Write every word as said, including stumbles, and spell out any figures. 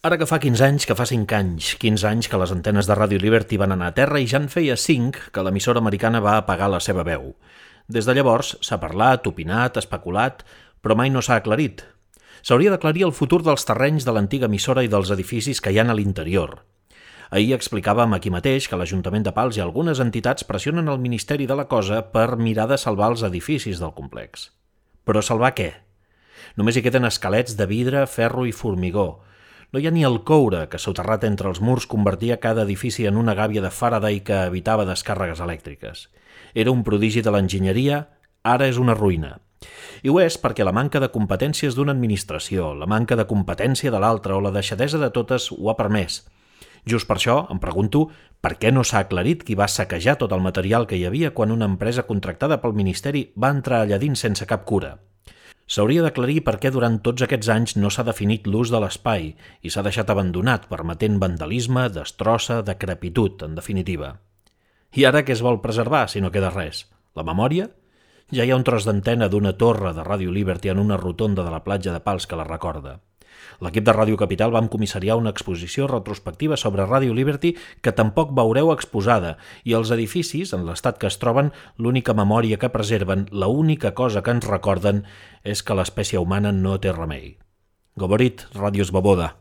Ara que fa quinze anys, que fa cinc anys, quinze anys que les antenes de Radio Liberty van anar a terra i ja en feia cinc que l'emissora americana va apagar la seva veu. Des de llavors s'ha parlat, opinat, especulat, però mai no s'ha aclarit. S'hauria d'aclarir el futur dels terrenys de l'antiga emissora i dels edificis que hi ha a l'interior. Ahir explicàvem aquí mateix que l'Ajuntament de Pals i algunes entitats pressionen el Ministeri de la Cosa per mirar de salvar els edificis del complex. Però salvar què? Només hi queden esquelets de vidre, ferro i formigó. No hi ha ni el coure que, soterrat entre els murs, convertia cada edifici en una gàbia de Faraday que evitava descàrregues elèctriques. Era un prodigi de l'enginyeria, ara és una ruïna. I ho és perquè la manca de competències d'una administració, la manca de competència de l'altra o la deixadesa de totes ho ha permès. Just per això em pregunto per què no s'ha aclarit qui va saquejar tot el material que hi havia quan una empresa contractada pel Ministeri va entrar allà dins sense cap cura. S'hauria d'aclarir per què durant tots aquests anys no s'ha definit l'ús de l'espai i s'ha deixat abandonat, permetent vandalisme, destrossa, decrepitud, en definitiva. I ara què es vol preservar si no queda res? La memòria? Ja hi ha un tros d'antena d'una torre de Radio Liberty en una rotonda de la platja de Pals que la recorda. L'equip de Ràdio Capital vam comissariar una exposició retrospectiva sobre Radio Liberty que tampoc veureu exposada i els edificis, en l'estat que es troben, l'única memòria que preserven, l'única cosa que ens recorden és que l'espècie humana no té remei. Govorit, Ràdio Svoboda.